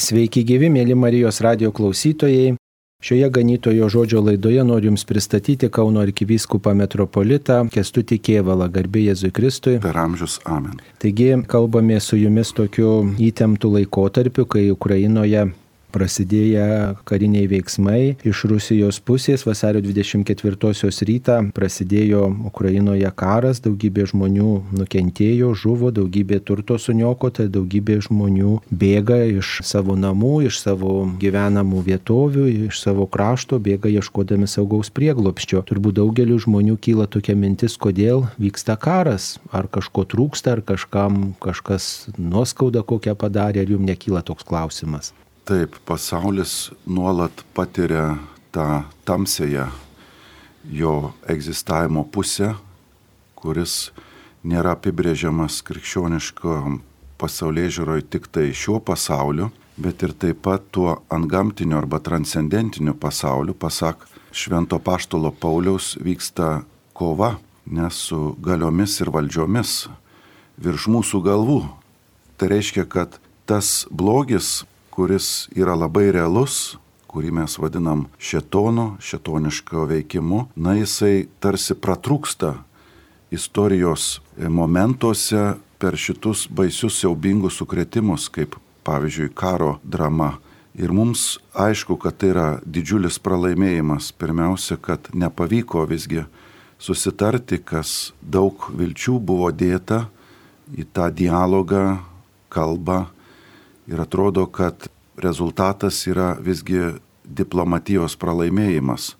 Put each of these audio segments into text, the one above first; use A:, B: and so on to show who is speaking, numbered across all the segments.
A: Sveiki gyvi, mėly Marijos radijo klausytojai. Šioje ganytojo žodžio laidoje noriu Jums pristatyti Kauno arkivyskupą metropolitą Kęstutį Kėvalą, garbė Jėzui Kristui.
B: Per amžius amen.
A: Taigi kalbame su Jumis tokiu įtemptu laikotarpiu, kai Ukrainoje prasidėję kariniai veiksmai iš Rusijos pusės. Vasario 24-osios rytą prasidėjo Ukrainoje karas, daugybė žmonių nukentėjo, žuvo, daugybė turto suniokota, daugybė žmonių bėga iš savo namų, iš savo gyvenamų vietovių, iš savo krašto, bėga ieškodami saugaus prieglobsčio. Turbūt daugeliu žmonių kyla tokia mintis, kodėl vyksta karas, ar kažko trūksta, ar kažkas nuoskaudą kokią padarė, ar jums nekyla toks klausimas?
B: Taip, pasaulis nuolat patiria tą tamsėje jo egzistavimo pusę, kuris nėra apibrėžiamas krikščioniško pasaulėžiūroje tik tai šiuo pasauliu, bet ir taip pat tuo antgamtiniu arba transcendentiniu pasauliu. Pasak Švento Apaštalo Pauliaus, vyksta kova, nes su galiomis ir valdžiomis virš mūsų galvų. Tai reiškia, kad tas blogis, kuris yra labai realus, kurį mes vadinam šėtonu, šėtoniško veikimu, jisai tarsi pratrūksta istorijos momentuose per šitus baisius siaubingus sukrėtimus, kaip pavyzdžiui karo drama. Ir mums aišku, kad tai yra didžiulis pralaimėjimas. Pirmiausia, kad nepavyko visgi susitarti, kas daug vilčių buvo dėta į tą dialogą, kalbą. Ir atrodo, kad rezultatas yra visgi diplomatijos pralaimėjimas.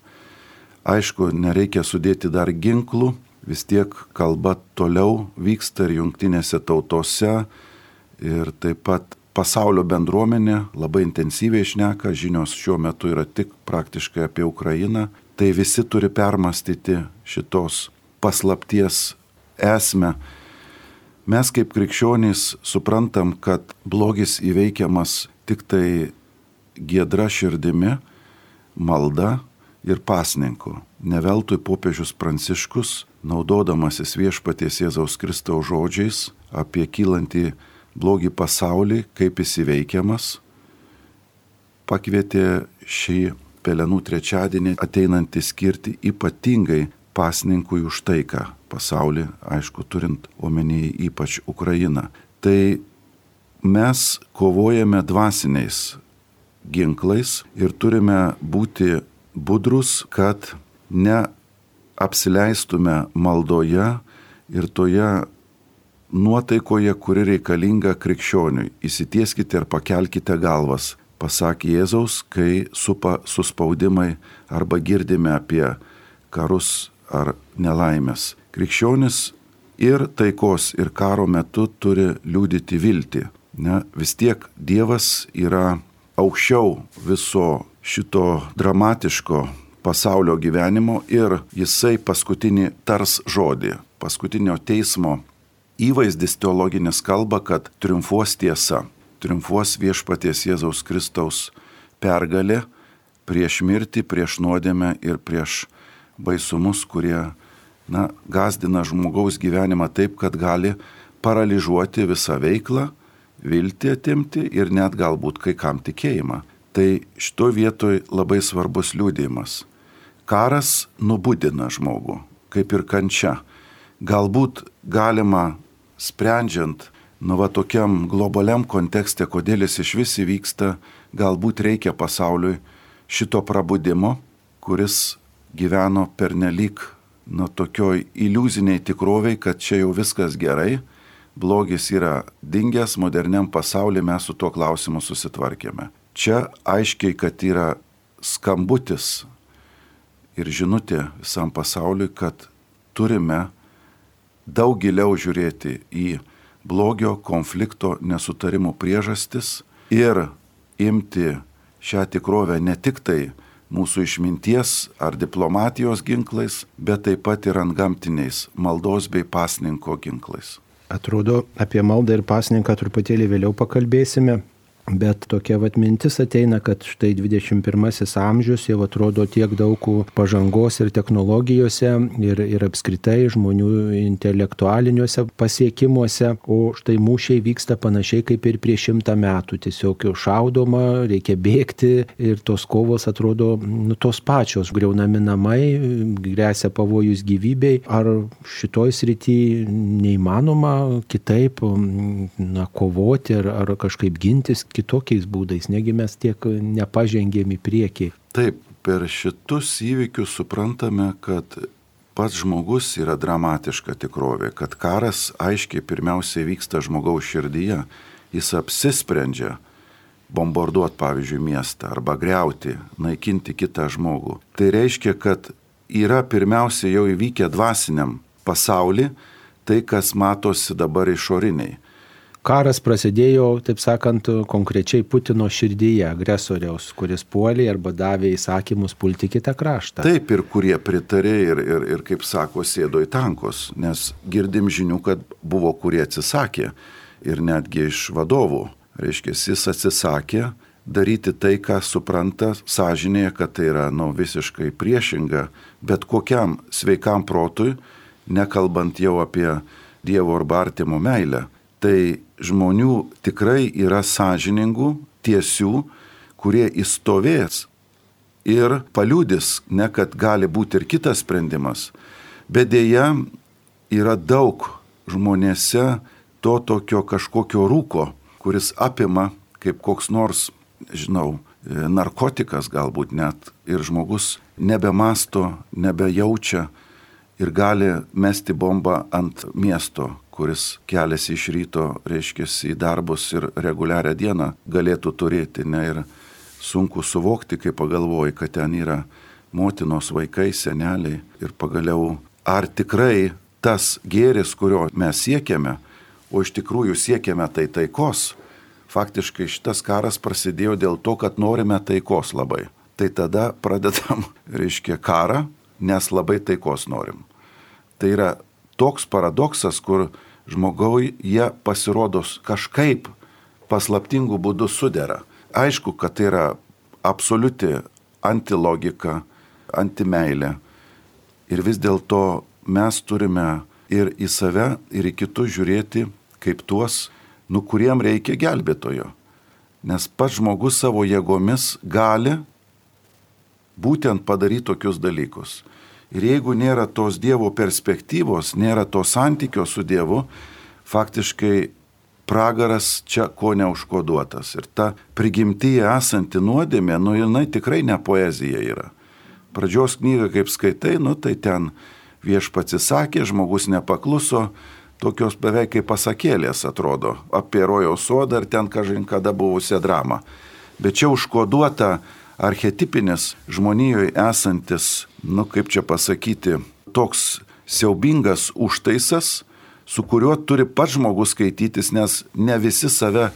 B: Aišku, nereikia sudėti dar ginklų, vis tiek kalba toliau vyksta ir jungtinėse tautose, ir taip pat pasaulio bendruomenė labai intensyviai šneka, žinios šiuo metu yra tik praktiškai apie Ukrainą. Tai visi turi permastyti šitos paslapties esmę. Mes kaip krikščionys suprantam, kad blogis įveikiamas tik tai giedra širdimi, malda ir pasninku. Ne veltui popiežius Pranciškus, naudodamasis Viešpaties Jėzaus Kristaus žodžiais apie kylantį blogį pasaulį, kaip jis įveikiamas, pakvietė šį Pelenų trečiadienį ateinantį skirti ypatingai pasninkui už taiką pasaulį, aišku, turint omenyje ypač Ukrainą. Tai mes kovojame dvasiniais ginklais ir turime būti budrus, kad neapsileistume maldoje ir toje nuotaikoje, kuri reikalinga krikščioniui. Įsitieskite ir pakelkite galvas, pasakė Jėzaus, kai supa suspaudimai arba girdime apie karus ar nelaimės. Krikščionis ir taikos ir karo metu turi liudyti viltį. Vis tiek Dievas yra aukščiau viso šito dramatiško pasaulio gyvenimo ir jisai paskutinį tars žodį. Paskutinio teismo įvaizdis teologinis kalba, kad triumfuos tiesa, triumfuos Viešpaties Jėzaus Kristaus pergalė prieš mirtį, prieš nuodėmę ir prieš baisumus, kurie gazdina žmogaus gyvenimą taip, kad gali paralyžuoti visą veiklą, viltį atimti ir net galbūt kai kam tikėjimą. Tai šito vietoj labai svarbus liudijimas. Karas nubudina žmogų, kaip ir kančia. Galbūt galima, sprendžiant tokiam globaliam kontekste, kodėl jis iš vis įvyksta, galbūt reikia pasauliui šito prabudimo, kuris gyveno pernelyg tokioj iliuziniai tikroviai, kad čia jau viskas gerai, blogis yra dingęs, moderniam pasaulyje mes su tuo klausimu susitvarkėme. Čia aiškiai, kad yra skambutis ir žinutė visam pasauliui, kad turime daug giliau žiūrėti į blogio, konflikto, nesutarimų priežastis ir imti šią tikrovę ne tik tai mūsų išminties ar diplomatijos ginklais, bet taip pat ir antgamtiniais maldos bei pasninko ginklais.
A: Atrodo, apie maldą ir pasninką truputėlį vėliau pakalbėsime. Bet tokia mintis ateina, kad štai 21 amžius jau atrodo tiek daug pažangos ir technologijose ir apskritai žmonių intelektualiniuose pasiekimuose, o štai mūšiai vyksta panašiai kaip ir prieš 100 metų. Tiesiog šaudoma, reikia bėgti ir tos kovos atrodo tos pačios, griaunami namai, grėsia pavojus gyvybei. Ar šitoj srity neįmanoma kitaip kovoti ar kažkaip gintis kitokiais būdais, negi mes tiek nepažengėm į priekį?
B: Taip, per šitus įvykius suprantame, kad pats žmogus yra dramatiška tikrovė, kad karas aiškiai pirmiausiai vyksta žmogaus širdyje. Jis apsisprendžia bombarduoti, pavyzdžiui, miestą arba griauti, naikinti kitą žmogų. Tai reiškia, kad yra pirmiausiai jau įvykę dvasiniam pasauly tai, kas matosi dabar išoriniai.
A: Karas prasidėjo, taip sakant, konkrečiai Putino širdyje, agresoriaus, kuris puolė arba davė įsakymus pulti kitą kraštą.
B: Taip, ir kurie pritarė ir kaip sako, sėdo į tankus, nes girdim žinių, kad buvo kurie atsisakė ir netgi iš vadovų. Reiškia, jis atsisakė daryti tai, ką supranta sąžinėje, kad tai yra visiškai priešinga, bet kokiam sveikam protui, nekalbant jau apie Dievo arba artimo meilę. Tai žmonių tikrai yra sąžiningų, tiesių, kurie įstovės ir paliudys, ne kad gali būti ir kitas sprendimas, bet dėja yra daug žmonėse to tokio kažkokio rūko, kuris apima kaip koks nors, narkotikas galbūt net, ir žmogus nebemasto, nebejaučia ir gali mesti bombą ant miesto, kuris keliasi iš ryto, reiškia, į darbus ir reguliarią dieną galėtų turėti, ir sunku suvokti, kai pagalvoji, kad ten yra motinos, vaikai, seneliai ir pagaliau, ar tikrai tas gėris, kurio mes siekiame, o iš tikrųjų siekiame tai taikos, faktiškai šitas karas prasidėjo dėl to, kad norime taikos labai. Tai tada pradedam, reiškia, karą, nes labai taikos norim. Tai yra toks paradoksas, kur žmogaui jie pasirodo kažkaip paslaptingų būdų sudera. Aišku, kad tai yra absoliuti antilogika, antimeilė. Ir vis dėlto mes turime ir į save, ir į kitus žiūrėti kaip tuos, kuriem reikia gelbėtojo. Nes pats žmogus savo jėgomis gali būtent padaryti tokius dalykus. Ir jeigu nėra tos Dievo perspektyvos, nėra to santykio su Dievu, faktiškai pragaras čia ko neužkoduotas. Ir ta prigimtyje esanti nuodėmė, jinai tikrai ne poezija yra. Pradžios knygą, kaip skaitai, tai ten viešpats įsakė, žmogus nepakluso, tokios beveik kaip pasakėlės atrodo, apie rojaus sodą ir ten kažin kada buvusią dramą. Bet čia užkoduota archetipinis žmonijoje esantis, kaip čia pasakyti, toks siaubingas užtaisas, su kuriuo turi pats žmogus skaitytis, nes ne visi save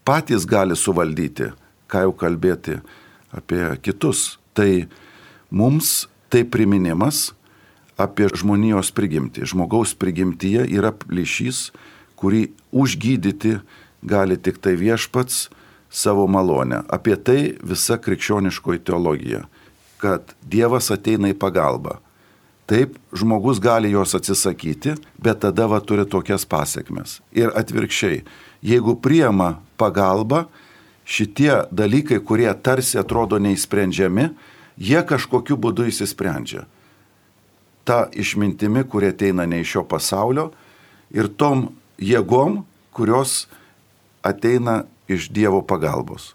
B: patys gali suvaldyti, ką jau kalbėti apie kitus. Tai mums tai priminimas apie žmonijos prigimtį. Žmogaus prigimtyje yra plyšys, kurį užgydyti gali tik tai viešpats savo malonę. Apie tai visa krikščioniškoji teologija, kad Dievas ateina į pagalbą. Taip, žmogus gali jos atsisakyti, bet tada turi tokias pasiekmes. Ir atvirkščiai, jeigu priima pagalbą, šitie dalykai, kurie tarsi atrodo neįsprendžiami, jie kažkokiu būdu įsisprendžia. Ta išmintimi, kurie ateina ne iš šio pasaulio, ir tom jėgom, kurios ateina iš Dievo pagalbos.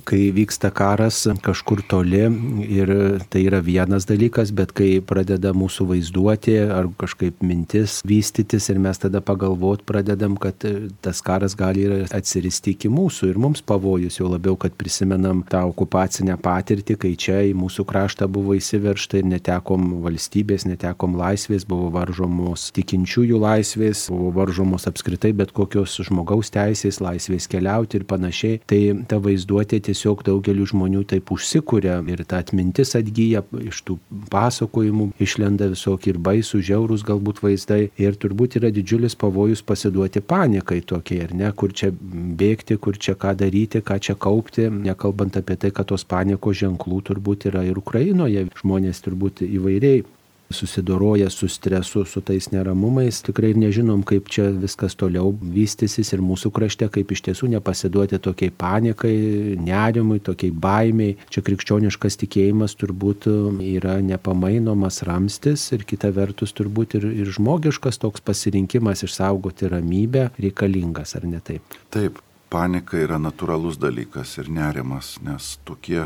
A: Kai vyksta karas kažkur toli ir tai yra vienas dalykas, bet kai pradeda mūsų vaizduoti ar kažkaip mintis vystytis ir mes tada pagalvot pradedam, kad tas karas gali atsiristi iki mūsų ir mums pavojus, jau labiau, kad prisimenam tą okupacinę patirtį, kai čia į mūsų kraštą buvo įsiveržta ir netekom valstybės, netekom laisvės, buvo varžomos tikinčiųjų laisvės, buvo varžomos apskritai bet kokios žmogaus teisės, laisvės keliauti ir panašiai. Tai ta vaizduotė tiesiog daugeliu žmonių taip užsikuria ir ta atmintis atgyja, iš tų pasakojimų išlenda visokie ir baisų, žiaurūs galbūt vaizdai ir turbūt yra didžiulis pavojus pasiduoti panikai tokiai, ar ne, kur čia bėgti, kur čia ką daryti, ką čia kaupti, nekalbant apie tai, kad tos panikos ženklų turbūt yra ir Ukrainoje, žmonės turbūt įvairiai susidoroja su stresu, su tais neramumais. Tikrai nežinom, kaip čia viskas toliau vystysis ir mūsų krašte, kaip iš tiesų nepasiduoti tokiai panikai, nerimui, tokiai baimiai. Čia krikščioniškas tikėjimas turbūt yra nepamainomas ramstis ir kita vertus turbūt ir žmogiškas toks pasirinkimas išsaugoti ramybę reikalingas, ar ne taip?
B: Taip, panika yra natūralus dalykas ir nerimas, nes tokie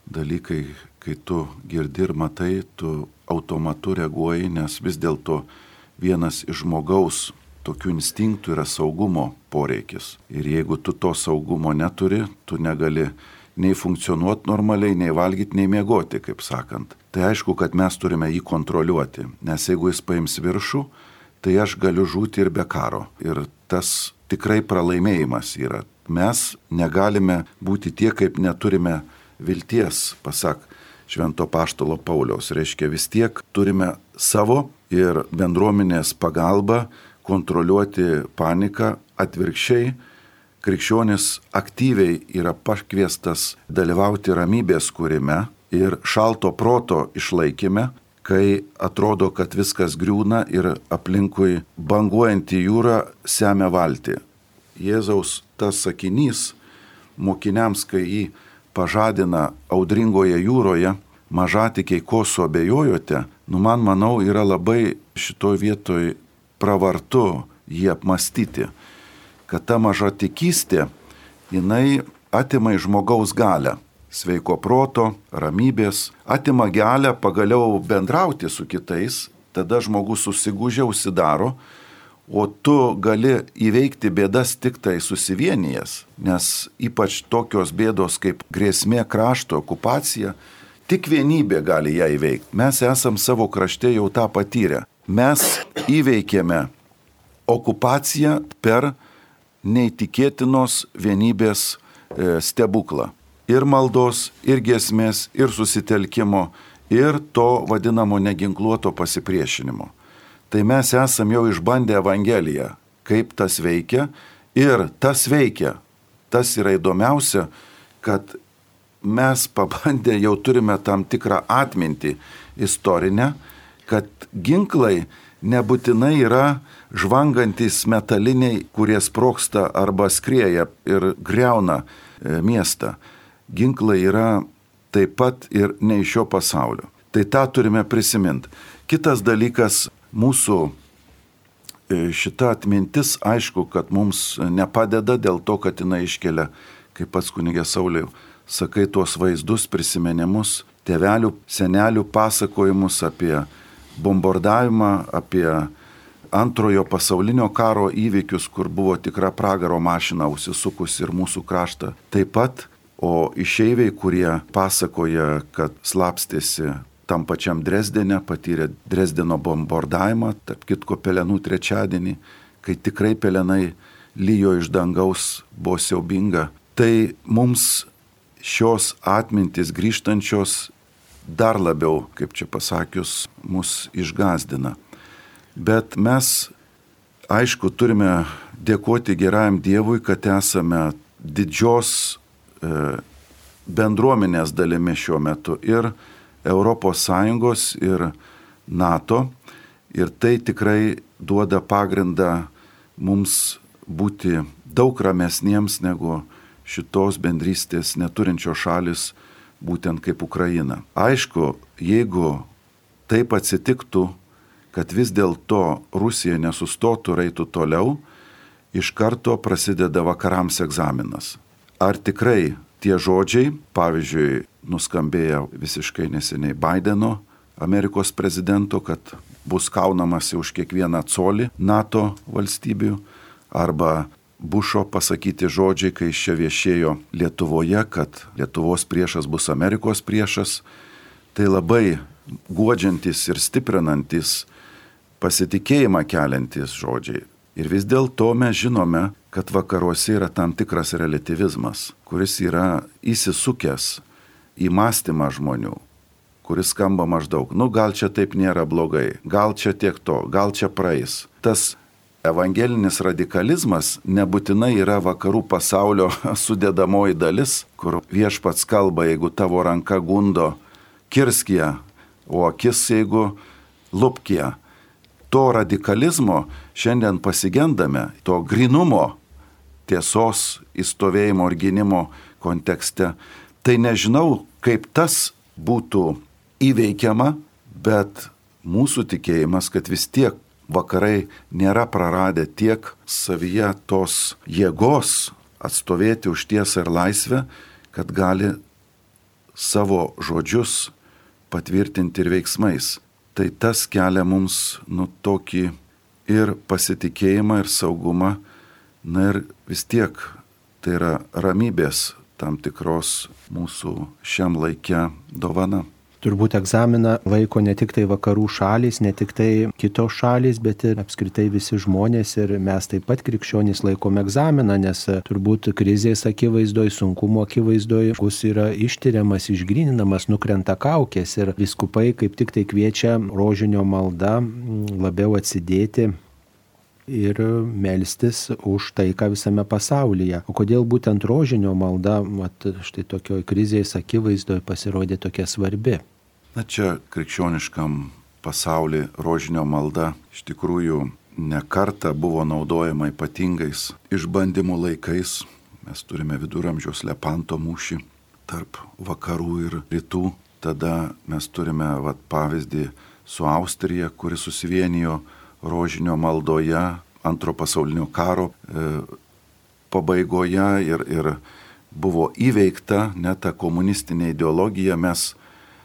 B: dalykai, kai tu girdi ir matai, tu automatu reaguoji, nes vis dėlto vienas iš žmogaus tokių instinktų yra saugumo poreikis. Ir jeigu tu to saugumo neturi, tu negali nei funkcionuoti normaliai, nei valgyti, nei miegoti, kaip sakant. Tai aišku, kad mes turime jį kontroliuoti, nes jeigu jis paims viršų, tai aš galiu žūti ir be karo. Ir tas tikrai pralaimėjimas yra. Mes negalime būti tie, kaip neturime vilties, pasak Švento Apaštalo Pauliaus. Reiškia, vis tiek turime savo ir bendruomenės pagalbą kontroliuoti paniką. Atvirkščiai, krikščionis aktyviai yra pakviestas dalyvauti ramybės kūrime ir šalto proto išlaikyme, kai atrodo, kad viskas griūna ir aplinkui banguojantį jūrą semia valtį. Jėzaus tas sakinys mokiniams, kai jį pažadina audringoje jūroje, mažatikiai, ko suabejojote, man manau, yra labai šitoj vietoj pravartu jį apmastyti, kad ta mažatikystė, jinai atima iš žmogaus galią, sveiko proto, ramybės, atima galią pagaliau bendrauti su kitais, tada žmogus susigūžia, užsidaro, o tu gali įveikti bėdas tik tai susivienijęs, nes ypač tokios bėdos kaip grėsmė krašto, okupacija, tik vienybė gali ją įveikti. Mes esam savo krašte jau tą patyrę. Mes įveikėme okupaciją per neįtikėtinos vienybės stebuklą. Ir maldos, ir giesmės, ir susitelkimo, ir to vadinamo neginkluoto pasipriešinimo. Tai mes esam jau išbandę Evangeliją, kaip tas veikia ir tas veikia. Tas yra įdomiausia, kad mes pabandę jau turime tam tikrą atmintį istorinę, kad ginklai nebūtinai yra žvangantis metaliniai, kurie sprogsta arba skrieja ir griauna miestą. Ginklai yra taip pat ir ne iš šio pasaulio. Tai tą turime prisiminti. Kitas dalykas, mūsų šita atmintis, aišku, kad mums nepadeda dėl to, kad jinai iškelia, kaip pats kunigė Sauliau, sakai, tuos vaizdus, prisiminimus, tėvelių, senelių pasakojimus apie bombardavimą, apie antrojo pasaulinio karo įvykius, kur buvo tikra pragaro mašina užsisukus ir mūsų kraštą. Taip pat, o išeiviai, kurie pasakoja, kad slapstėsi tam pačiam Dresdene, patyrė Dresdeno bombardavimą, tarp kitko Pelenų trečiadienį, kai tikrai pelenai lyjo iš dangaus, buvo siaubinga. Tai mums šios atmintis grįžtančios dar labiau, kaip čia pasakius, mus išgąsdina. Bet mes, aišku, turime dėkoti gerajam Dievui, kad esame didžios bendruomenės dalimi šiuo metu ir ES ir NATO, ir tai tikrai duoda pagrindą mums būti daug ramesniems negu šitos bendrystės neturinčios šalis, būtent kaip Ukraina. Aišku, jeigu taip atsitiktų, kad vis dėlto Rusija nesustotų ir eitų toliau, iš karto prasideda vakarams egzaminas. Ar tikrai tie žodžiai, pavyzdžiui, nuskambėjo visiškai neseniai Baideno, Amerikos prezidento, kad bus kaunamasi už kiekvieną colį NATO valstybių, arba Bušo pasakyti žodžiai, kai jis čia viešėjo Lietuvoje, kad Lietuvos priešas bus Amerikos priešas, tai labai guodžiantis ir stiprinantis, pasitikėjimą keliantis žodžiai. Ir vis dėlto mes žinome, kad vakaruose yra tam tikras relativizmas, kuris yra įsisukęs į mąstymą žmonių, kuris skamba maždaug, gal čia taip nėra blogai, gal čia tiek to, gal čia praeis. Tas evangelinis radikalizmas nebūtinai yra vakarų pasaulio sudėdamoji dalis, kur viešpats kalba, jeigu tavo ranka gundo, kirsk ją, o akis jeigu lupk ją. To radikalizmo šiandien pasigendame, to grynumo, tiesos įstovėjimo ir gynimo kontekste. Tai nežinau, kaip tas būtų įveikiama, bet mūsų tikėjimas, kad vis tiek vakarai nėra praradę tiek savyje tos jėgos atstovėti už tiesą ir laisvę, kad gali savo žodžius patvirtinti ir veiksmais. Tai tas kelia mums tokį ir pasitikėjimą, ir saugumą, ir vis tiek tai yra ramybės tam tikros mūsų šiam laike dovana.
A: Turbūt egzaminą laiko ne tik tai vakarų šalys, ne tik tai kitos šalys, bet ir apskritai visi žmonės ir mes taip pat krikščionys laikom egzaminą, nes turbūt krizės akivaizdoj, sunkumo akivaizdoj žmogus yra ištiriamas, išgryninamas, nukrenta kaukės ir vyskupai kaip tik tai kviečia rožinio malda labiau atsidėti ir melstis už taiką visame pasaulyje. O kodėl būtent rožinio malda, štai tokioj krizės akivaizdoj pasirodė tokia svarbi?
B: Čia krikščioniškam pasaulyje rožinio malda iš tikrųjų ne kartą buvo naudojama ypatingais išbandymų laikais. Mes turime viduramžiaus Lepanto mūšį tarp vakarų ir rytų. Tada mes turime pavyzdį su Austrija, kuri susivienijo rožinio maldoje Antro pasaulinio karo pabaigoje ir buvo įveikta net ta komunistinė ideologija. Mes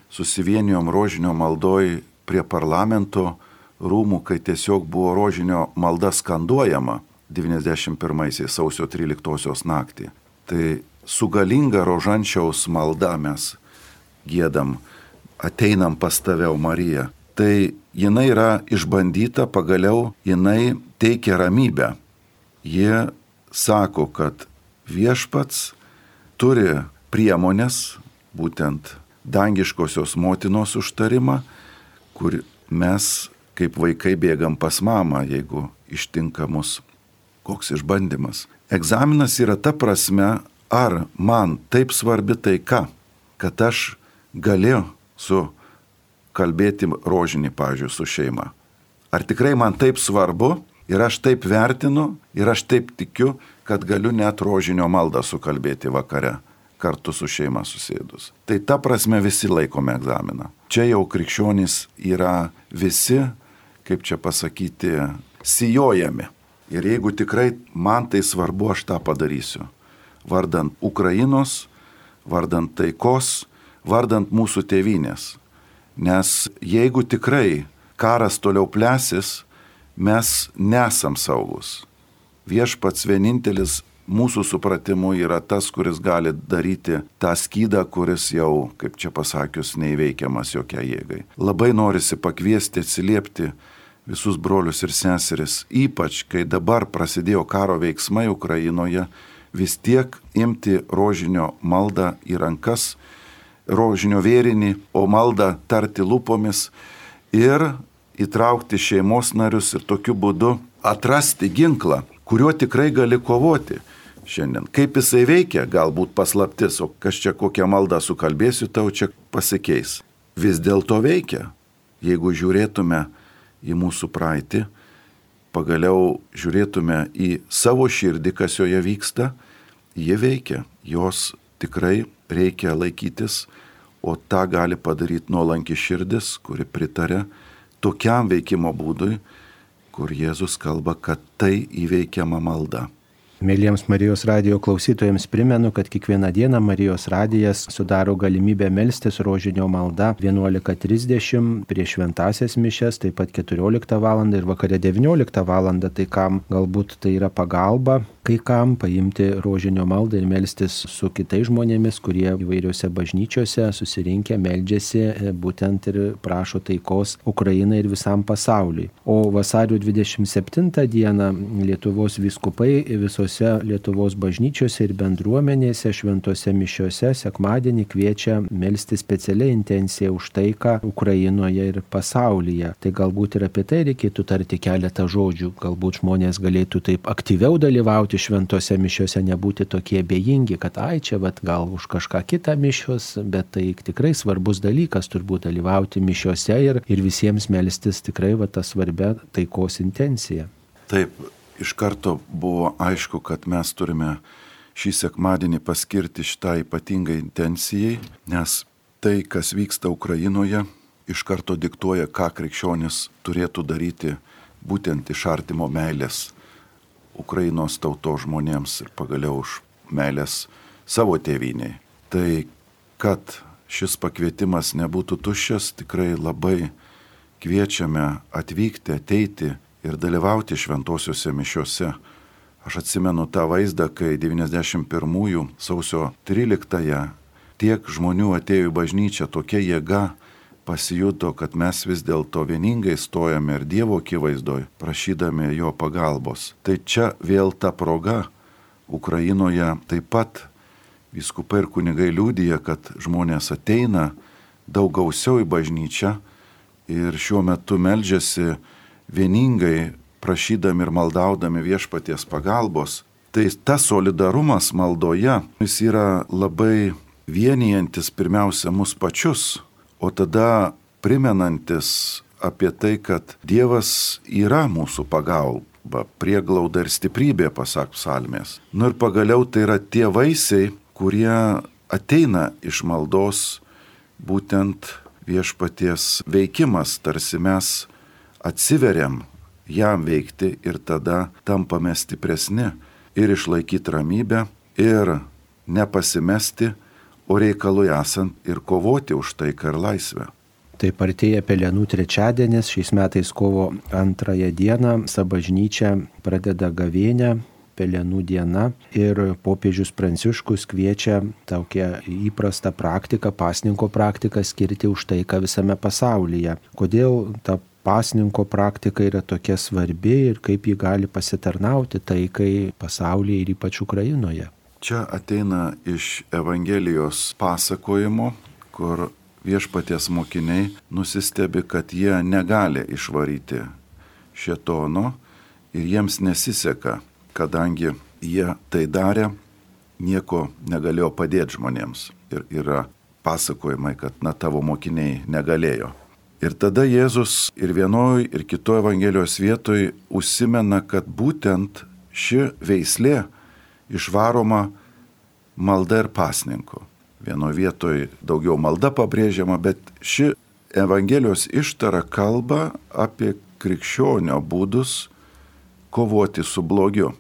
B: susivienijom rožinio maldoj prie parlamento rūmų, kai tiesiog buvo rožinio malda skanduojama 91 sausio 13 naktį. Tai su galinga rožančiaus malda mes giedam, ateinam pas tave, Marija. Tai jinai yra išbandyta, pagaliau jinai teikia ramybę. Jie sako, kad viešpats turi priemonės, būtent dangiškosios motinos užtarimą, kur mes kaip vaikai bėgam pas mamą, jeigu ištinka mus koks išbandymas. Egzaminas yra ta prasme, ar man taip svarbi taika, kad aš galiu kalbėti rožinį, pavyzdžiui, su šeima. Ar tikrai man taip svarbu ir aš taip vertinu ir aš taip tikiu, kad galiu net rožinio maldą sukalbėti vakare kartu su šeima susėdus. Tai ta prasme visi laikome egzaminą. Čia jau krikščionys yra visi, kaip čia pasakyti, sijojami. Ir jeigu tikrai man tai svarbu, aš tą padarysiu. Vardant Ukrainos, vardant taikos, vardant mūsų tėvynės. Nes jeigu tikrai karas toliau plesis, mes nesam saugus. Viešpats vienintelis mūsų supratimu yra tas, kuris gali daryti tą skydą, kuris jau, kaip čia pasakius, neįveikiamas jokia jėgai. Labai norisi pakviesti, atsiliepti visus brolius ir seseris, ypač kai dabar prasidėjo karo veiksmai Ukrainoje, vis tiek imti rožinio maldą į rankas, rožinio vėrinį, o maldą tarti lūpomis ir įtraukti šeimos narius ir tokiu būdu atrasti ginklą, kuriuo tikrai gali kovoti. Šiandien. Kaip jisai veikia, galbūt paslaptis, o kas čia kokią maldą sukalbėsiu, tau čia pasikeis. Vis dėlto veikia. Jeigu žiūrėtume į mūsų praeitį, pagaliau žiūrėtume į savo širdį, kas joje vyksta, jie veikia. Jos tikrai reikia laikytis, o tą gali padaryti nuolanki širdis, kuri pritarė tokiam veikimo būdui, kur Jėzus kalba, kad tai įveikiama malda.
A: Mėlyjams Marijos radijo klausytojams primenu, kad kiekvieną dieną Marijos radijas sudaro galimybę melstis rožinio malda 11:30 prieš šventąsias mišias, taip pat 14 val. Ir vakare 19 val. Tai kam galbūt tai yra pagalba, kai kam paimti rožinio maldą ir melstis su kitais žmonėmis, kurie įvairiose bažnyčiose susirinkę meldžiasi būtent ir prašo taikos Ukrainai ir visam pasauliui. O vasario 27 dieną Lietuvos vyskupai visose Lietuvos bažnyčiose ir bendruomenėse šventose mišiose sekmadienį kviečia melstis specialią intenciją už taiką Ukrainoje ir pasaulyje. Tai galbūt ir apie tai reikėtų tarti keletą žodžių. Galbūt žmonės galėtų taip aktyviau dalyvauti šventose mišiose, nebūti tokie bejingi, kad čia gal už kažką kitą mišios, bet tai tikrai svarbus dalykas turbūt dalyvauti mišiose ir visiems melstis tikrai tą svarbę taikos intenciją.
B: Taip, iš karto buvo aišku, kad mes turime šį sekmadienį paskirti šitai ypatingai intencijai, nes tai, kas vyksta Ukrainoje, iš karto diktuoja, ką krikščionis turėtų daryti būtent iš artimo meilės Ukrainos tautos žmonėms ir pagaliau už meilės savo tėvynei. Tai, kad šis pakvietimas nebūtų tuščias, tikrai labai kviečiame atvykti, ateiti ir dalyvauti šventosiuose mišiuose. Aš atsimenu tą vaizdą, kai 91 sausio 13 tiek žmonių atėjo į bažnyčią, tokia jėga pasijuto, kad mes vis dėlto vieningai stojame ir Dievo akivaizdoj, prašydami jo pagalbos. Tai čia vėl ta proga Ukrainoje taip pat vyskupai ir kunigai liudija, kad žmonės ateina daug gausiau į bažnyčią ir šiuo metu meldžiasi vieningai prašydami ir maldaudami viešpaties pagalbos. Tai tas solidarumas maldoje, jis yra labai vienijantis pirmiausia mus pačius, o tada primenantis apie tai, kad Dievas yra mūsų pagalba, prieglauda ir stiprybė, pasak psalmės. Ir pagaliau tai yra tie vaisiai, kurie ateina iš maldos, būtent viešpaties veikimas, tarsi mes atsiveriam jam veikti ir tada tampame stipresni ir išlaikyti ramybę ir nepasimesti, o reikalui esant ir kovoti už taiką ir laisvę.
A: Taip artėja Pelenų trečiadienis, šiais metais kovo 2 dieną bažnyčia pradeda gavėnią, Pelenų diena, ir popiežius Pranciškus kviečia tokią įprastą praktiką, pasninko praktiką skirti už taiką visame pasaulyje. Kodėl ta pasninko praktika yra tokia svarbi ir kaip ji gali pasitarnauti taikai pasaulyje ir ypač Ukrainoje?
B: Čia ateina iš Evangelijos pasakojimo, kur viešpaties mokiniai nusistebi, kad jie negali išvaryti šėtono ir jiems nesiseka, kadangi jie tai darė, nieko negalėjo padėti žmonėms. Ir yra pasakojimai, kad tavo mokiniai negalėjo. Ir tada Jėzus ir vienoj, ir kitoj Evangelijos vietoj užsimena, kad būtent ši veislė išvaroma malda ir pasninku. Vienoje vietoje daugiau malda pabrėžiama, bet ši Evangelijos ištara kalba apie krikščionio būdus kovoti su blogiu.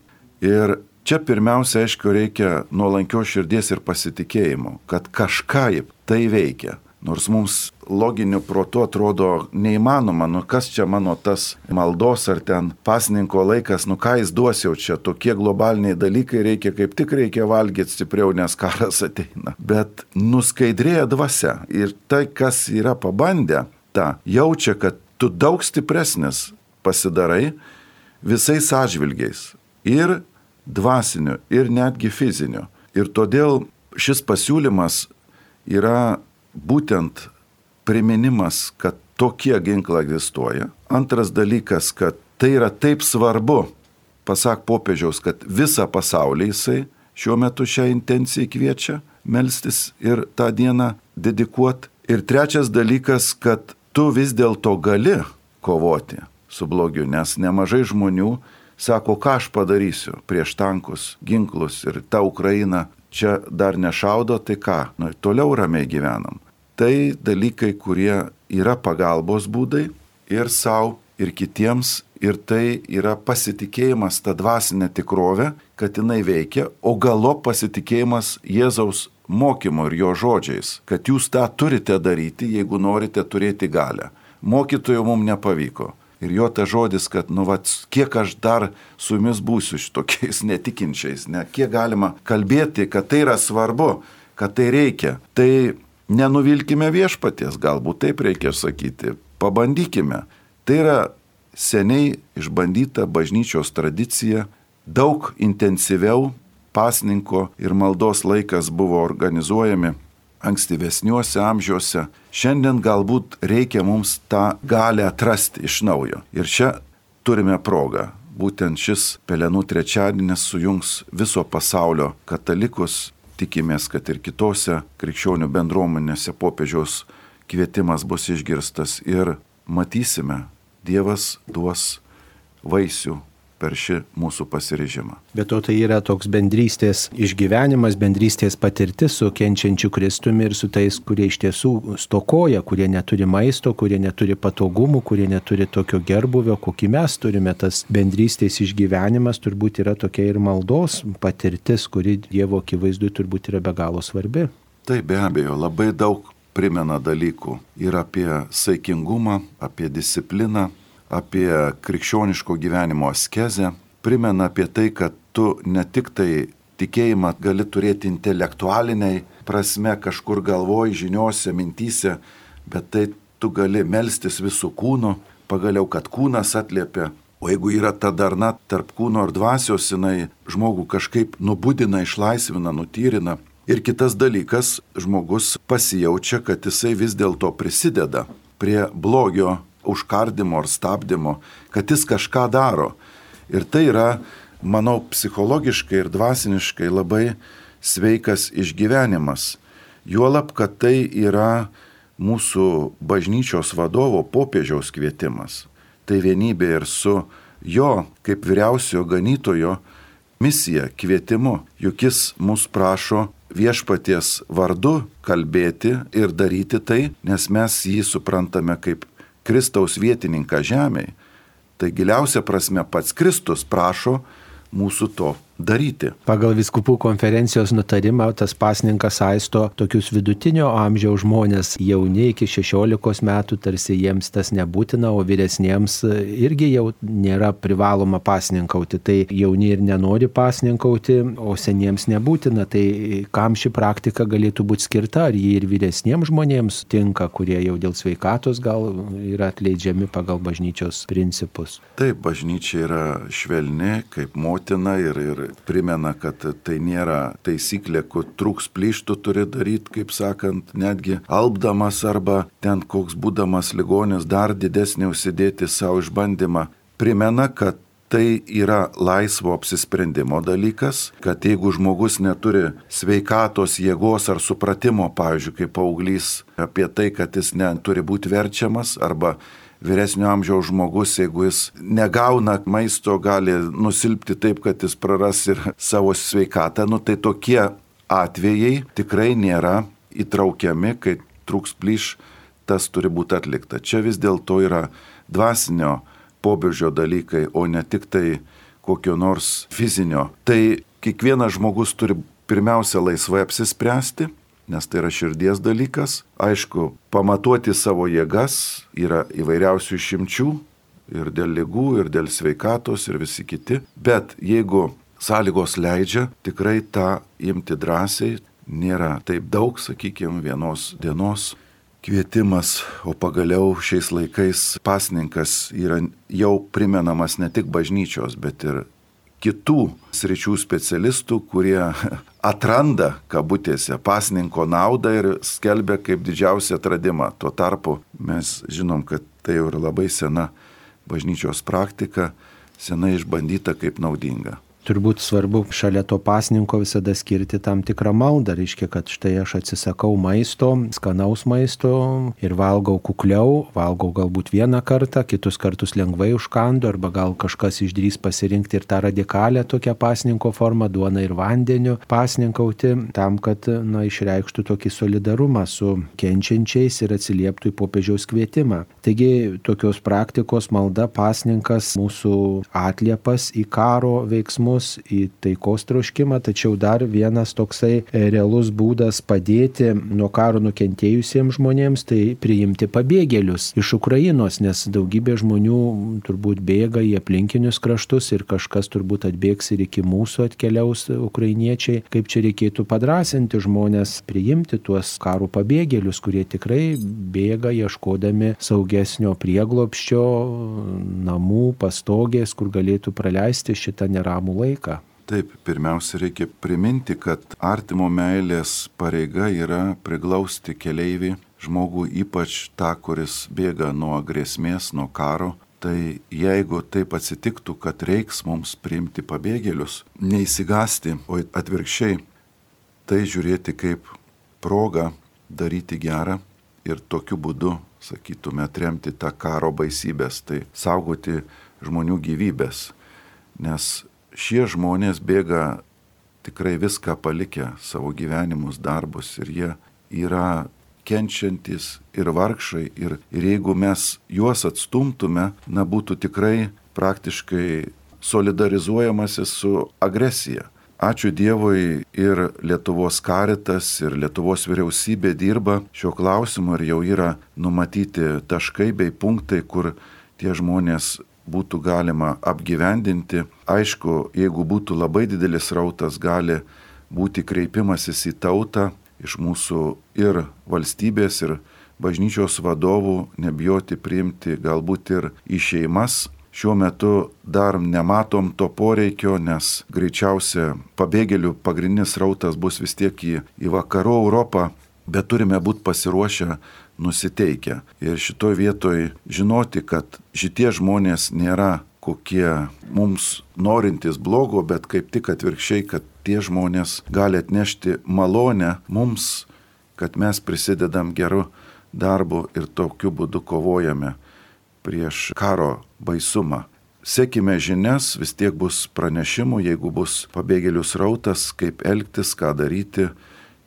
B: Ir čia pirmiausia, aišku, reikia nuolankios širdies ir pasitikėjimo, kad kažkaip tai veikia. Nors mums loginiu protu atrodo neįmanoma, kas čia mano tas maldos ar ten pasninko laikas, ką jis duos jau čia, tokie globaliniai dalykai reikia, kaip tik reikia valgyti stipriau, nes karas ateina. Bet nuskaidrėja dvasia ir tai, kas yra pabandę, jaučia, kad tu daug stipresnis pasidarai visais atžvilgiais ir dvasiniu, ir netgi fiziniu. Ir todėl šis pasiūlymas yra būtent priminimas, kad tokie ginklai egzistuoja. Antras dalykas, kad tai yra taip svarbu, pasak popiežiaus, kad visą pasaulį jisai šiuo metu šią intenciją kviečia melstis ir tą dieną dedikuoti. Ir trečias dalykas, kad tu vis dėlto gali kovoti su blogiu, nes nemažai žmonių sako, ką aš padarysiu prieš tankus, ginklus ir ta Ukraina čia dar nešaudo, tai ką, toliau ramiai gyvenam. Tai dalykai, kurie yra pagalbos būdai ir savo, ir kitiems. Ir tai yra pasitikėjimas tą dvasinę tikrovę, kad jinai veikia, o galop pasitikėjimas Jėzaus mokymu ir jo žodžiais, kad jūs tą turite daryti, jeigu norite turėti galią. Mokytojo mums nepavyko. Ir jo ta žodis, kad, kiek aš dar su jumis būsiu šitokiais netikinčiais, kiek galima kalbėti, kad tai yra svarbu, kad tai reikia. Tai nenuvilkime viešpaties, galbūt taip reikia sakyti, pabandykime. Tai yra seniai išbandyta bažnyčios tradicija, daug intensyviau pasninko ir maldos laikas buvo organizuojami ankstyvesniuose amžiuose. Šiandien galbūt reikia mums tą galę atrasti iš naujo. Ir čia turime progą. Būtent šis Pelenų trečiadienis sujungs viso pasaulio katalikus. Tikimės, kad ir kitose krikščionių bendruomenėse popiežiaus kvietimas bus išgirstas ir matysime, Dievas duos vaisių per šį mūsų pasiryžimą.
A: Bet to tai yra toks bendrystės išgyvenimas, bendrystės patirtis su kenčiančiu Kristumi ir su tais, kurie iš tiesų stokoja, kurie neturi maisto, kurie neturi patogumų, kurie neturi tokio gerbuvio, kokį mes turime. Tas bendrystės išgyvenimas turbūt yra tokia ir maldos patirtis, kuri Dievo akivaizdui turbūt yra be galo svarbi.
B: Tai be abejo, labai daug primena dalykų ir apie saikingumą, apie discipliną, apie krikščioniško gyvenimo askezę, primena apie tai, kad tu ne tik tai tikėjimą gali turėti intelektualiniai prasme, kažkur galvoj, žiniose, mintyse, bet tai tu gali melstis visų kūnų, pagaliau, kad kūnas atliepia. O jeigu yra ta darna tarp kūno ir dvasios, jinai žmogų kažkaip nubudina, išlaisvina, nutyrina. Ir kitas dalykas, žmogus pasijaučia, kad jisai vis dėlto prisideda prie blogio užkardimo ar stabdymo, kad jis kažką daro. Ir tai yra, manau, psichologiškai ir dvasiniškai labai sveikas išgyvenimas. Juolab, kad tai yra mūsų bažnyčios vadovo popiežiaus kvietimas. Tai vienybė ir su jo, kaip vyriausiojo ganytojo, misija, kvietimu. Juk jis mus prašo viešpaties vardu kalbėti ir daryti tai, nes mes jį suprantame kaip Kristaus vietininką žemėje. Tai giliausia prasme pats Kristus prašo mūsų to daryti.
A: Pagal vyskupų konferencijos nutarimą tas pasninkas saisto tokius vidutinio amžiaus žmonės, jauni iki 16 metų, tarsi jiems tas nebūtina, o vyresniems irgi jau nėra privaloma pasninkauti. Tai jauni ir nenori pasninkauti, o seniems nebūtina. Tai kam ši praktika galėtų būti skirta? Ar jį ir vyresniems žmonėms tinka, kurie jau dėl sveikatos gal yra atleidžiami pagal bažnyčios principus?
B: Taip, bažnyčia yra švelni kaip motina ir primena, kad tai nėra taisyklė, kur trūks plyštų turi daryti, kaip sakant, netgi alpdamas arba ten koks būdamas ligonis dar didesnį užsidėti savo išbandymą. Primena, kad tai yra laisvo apsisprendimo dalykas, kad jeigu žmogus neturi sveikatos, jėgos ar supratimo, pavyzdžiui, kaip paauglys, apie tai, kad jis neturi būti verčiamas arba vyresnio amžiaus žmogus, jeigu jis negauna maisto, gali nusilpti taip, kad jis praras ir savo sveikatą. Tai tokie atvejai tikrai nėra įtraukiami, kai trūks plyš, tas turi būti atlikta. Čia vis dėlto yra dvasinio pobūdžio dalykai, o ne tik tai kokio nors fizinio. Tai kiekvienas žmogus turi pirmiausia laisvai apsispręsti, nes tai yra širdies dalykas. Aišku, pamatuoti savo jėgas yra įvairiausių išimčių ir dėl ligų, ir dėl sveikatos, ir visi kiti. Bet jeigu sąlygos leidžia, tikrai tą imti drąsiai, nėra taip daug, sakykime, vienos dienos kvietimas, o pagaliau šiais laikais pasninkas yra jau primenamas ne tik bažnyčios, bet ir kitų sričių specialistų, kurie atranda, kabutėse, pasninko naudą ir skelbia kaip didžiausią atradimą. Tuo tarpu mes žinom, kad tai jau yra labai sena bažnyčios praktika, senai išbandyta kaip naudinga.
A: turbūt svarbu šalia to pasninko visada skirti tam tikrą maldą, reiškia, kad štai aš atsisakau maisto, skanaus maisto ir valgau kukliau, valgau galbūt vieną kartą, kitus kartus lengvai užkandu, arba gal kažkas išdrys pasirinkti ir tą radikalę tokią pasninko formą, duoną ir vandeniu pasninkauti, tam, kad išreikštų tokį solidarumą su kenčiančiais ir atsilieptų į popiežiaus kvietimą. Taigi tokios praktikos malda, pasninkas, mūsų atliepas į karo veiksmus, į taikos troškimą, tačiau dar vienas toksai realus būdas padėti nuo karo nukentėjusiems žmonėms, tai priimti pabėgėlius iš Ukrainos, nes daugybė žmonių turbūt bėga į aplinkinius kraštus ir kažkas turbūt atbėgs ir iki mūsų atkeliaus ukrainiečiai. Kaip čia reikėtų padrąsinti žmonės priimti tuos karo pabėgėlius, kurie tikrai bėga ieškodami saugesnio prieglobsčio, namų, pastogės, kur galėtų praleisti šitą neramų laiką.
B: Taip, pirmiausia, reikia priminti, kad artimo meilės pareiga yra priglausti keleivį, žmogų, ypač tą, kuris bėga nuo grėsmės, nuo karo. Tai jeigu taip atsitiktų, kad reiks mums priimti pabėgėlius, neįsigasti, o atvirkščiai, tai žiūrėti kaip progą daryti gerą ir tokiu būdu, sakytume, atremti tą karo baisybės, tai saugoti žmonių gyvybės. Nes šie žmonės bėga tikrai viską palikę, savo gyvenimus, darbus, ir jie yra kenčiantis ir vargšai. Ir jeigu mes juos atstumtume, būtų tikrai praktiškai solidarizuojamasi su agresija. Ačiū Dievui, ir Lietuvos Caritas, ir Lietuvos vyriausybė dirba šio klausimu ir jau yra numatyti taškai bei punktai, kur tie žmonės būtų galima apgyvendinti. Aišku, jeigu būtų labai didelis srautas, gali būti kreipimasis į tautą iš mūsų ir valstybės, ir bažnyčios vadovų, nebijoti priimti galbūt ir į šeimas. Šiuo metu dar nematom to poreikio, nes greičiausia pabėgėlių pagrindinis srautas bus vis tiek į vakarų Europą, bet turime būti pasiruošę, nusiteikę. Ir šitoj vietoj žinoti, kad šitie žmonės nėra kokie mums norintys blogo, bet kaip tik atvirkščiai, kad tie žmonės gali atnešti malonę mums, kad mes prisidedam geru darbu ir tokiu būdu kovojame prieš karo baisumą. Sekime žinias, vis tiek bus pranešimų, jeigu bus pabėgėlių srautas, kaip elgtis, ką daryti.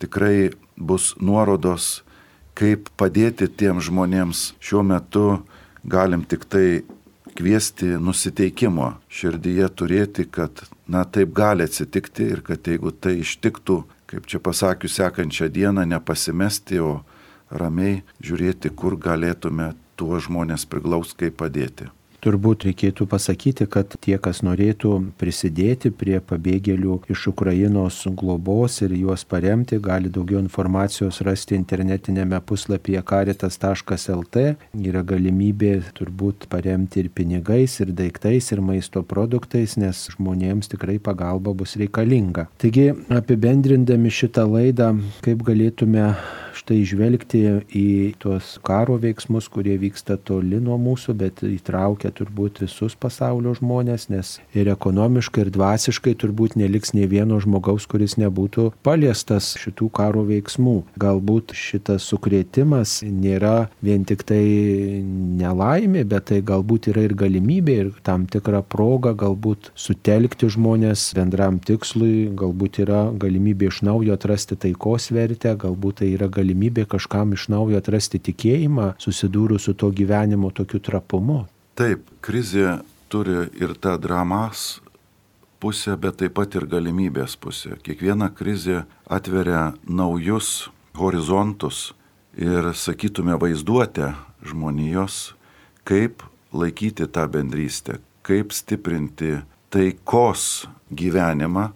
B: Tikrai bus nuorodos, kaip padėti tiem žmonėms. Šiuo metu galim tik tai kviesti nusiteikimo širdyje turėti, kad taip gali atsitikti ir kad jeigu tai ištiktų, kaip čia pasakius, sekančią dieną nepasimesti, o ramiai žiūrėti, kur galėtume tuos žmonės priglaust, kaip padėti.
A: Turbūt reikėtų pasakyti, kad tie, kas norėtų prisidėti prie pabėgėlių iš Ukrainos globos ir juos paremti, gali daugiau informacijos rasti internetinėme puslapyje caritas.lt. Yra galimybė turbūt paremti ir pinigais, ir daiktais, ir maisto produktais, nes žmonėms tikrai pagalba bus reikalinga. Taigi, apibendrindami šitą laidą, kaip galėtume štai žvelgti į tuos karo veiksmus, kurie vyksta toli nuo mūsų, bet įtraukia turbūt visus pasaulio žmonės, nes ir ekonomiškai, ir dvasiškai turbūt neliks nei vieno žmogaus, kuris nebūtų paliestas šitų karo veiksmų. Galbūt šitas sukrėtimas nėra vien tik tai nelaimė, bet tai galbūt yra ir galimybė, ir tam tikra proga galbūt sutelkti žmonės bendram tikslui, galbūt yra galimybė iš naujo atrasti taikos vertę, galbūt tai yra galimybė kažkam iš naujo atrasti tikėjimą, susidūrus su to gyvenimo tokiu trapumu.
B: Taip, krizė turi ir tą dramos pusę, bet taip pat ir galimybės pusę. Kiekviena krizė atveria naujus horizontus ir, sakytume, vaizduotę žmonijos, kaip laikyti tą bendrystę, kaip stiprinti taikos gyvenimą,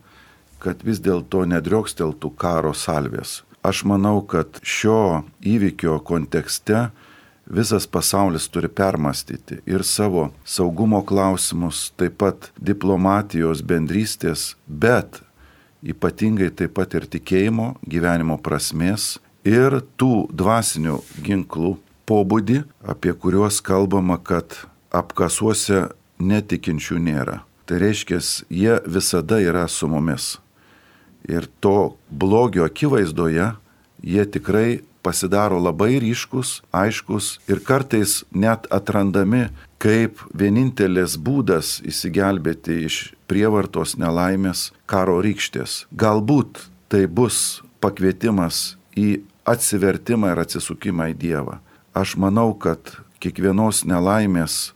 B: kad vis dėlto nedrioksteltų karo salvės. Aš manau, kad šio įvykio kontekste visas pasaulis turi permastyti ir savo saugumo klausimus, taip pat diplomatijos, bendrystės, bet ypatingai taip pat ir tikėjimo, gyvenimo prasmės ir tų dvasinių ginklų pobūdį, apie kuriuos kalbama, kad apkasuose netikinčių nėra. tai reiškia, jie visada yra su mumis. Ir to blogio akivaizdoje jie tikrai pasidaro labai ryškus, aiškus ir kartais net atrandami kaip vienintelis būdas įsigelbėti iš prievartos, nelaimės, karo rykštės. Galbūt tai bus pakvietimas į atsivertimą ir atsisukimą į Dievą. Aš manau, kad kiekvienos nelaimės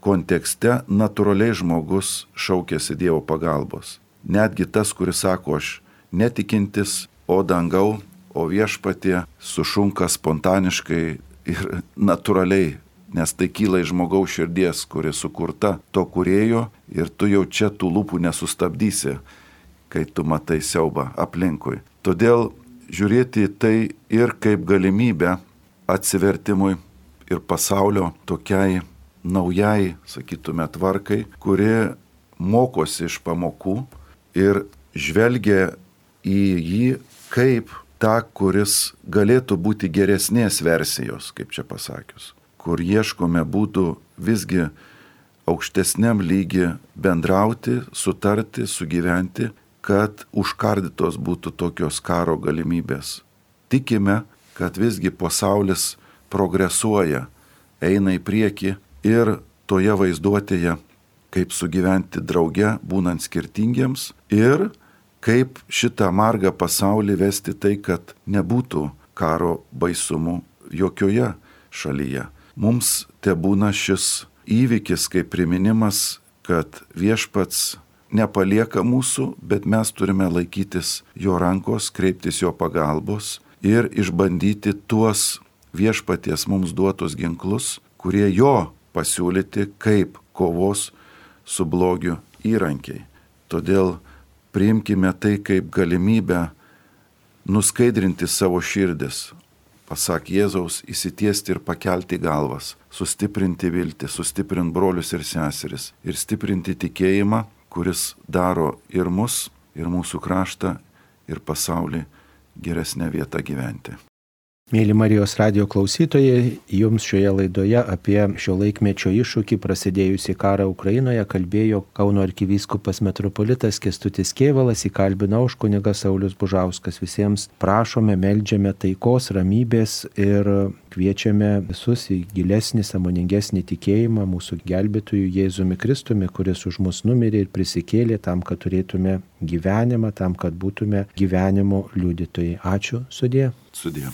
B: kontekste natūraliai žmogus šaukėsi Dievo pagalbos. Netgi tas, kuris sako, aš netikintis, o dangau, o viešpatie sušunka spontaniškai ir natūraliai, nes tai kyla iš žmogaus širdies, kuri sukurta to kūrėjo ir tu jau čia tų lūpų nesustabdysi, kai tu matai siaubą aplinkui. Todėl žiūrėti į tai ir kaip galimybę atsivertimui ir pasaulio tokiai naujai, sakytume, tvarkai, kuri mokosi iš pamokų ir žvelgia į jį kaip tą, kuris galėtų būti geresnės versijos, kaip čia pasakius, kur ieškome būdų visgi aukštesniam lygi bendrauti, sutarti, sugyventi, kad užkardytos būtų tokios karo galimybės. Tikime, kad visgi pasaulis progresuoja, eina į priekį ir toje vaizduotėje, kaip sugyventi drauge, būnant skirtingiems ir kaip šitą margą pasaulį vesti tai, kad nebūtų karo baisumų jokioje šalyje. Mums tebūna šis įvykis kaip priminimas, kad viešpats nepalieka mūsų, bet mes turime laikytis jo rankos, kreiptis jo pagalbos ir išbandyti tuos viešpaties mums duotus ginklus, kurie jo pasiūlyti kaip kovos su blogiu įrankiai. Todėl priimkime tai kaip galimybę nuskaidrinti savo širdis, pasak Jėzaus, įsitiesti ir pakelti galvas, sustiprinti viltį, sustiprinti brolius ir seseris ir stiprinti tikėjimą, kuris daro ir mus, ir mūsų kraštą, ir pasaulį geresnę vietą gyventi.
A: Mėly Marijos radijo klausytojai, jums šioje laidoje apie šio laikmečio iššūkį prasidėjusį karą Ukrainoje kalbėjo Kauno arkivyskupas metropolitas Kęstutis Kėvalas, įkalbino aš kunigas Saulius Bužauskas. Visiems prašome, meldžiame taikos, ramybės ir kviečiame visus į gilesnį, sąmoningesnį tikėjimą mūsų gelbėtojų Jėzumi Kristumi, kuris už mus numirė ir prisikėlė tam, kad turėtume gyvenimą, tam, kad būtume gyvenimo liudytojai. Ačiū, sudie.
B: Sudie.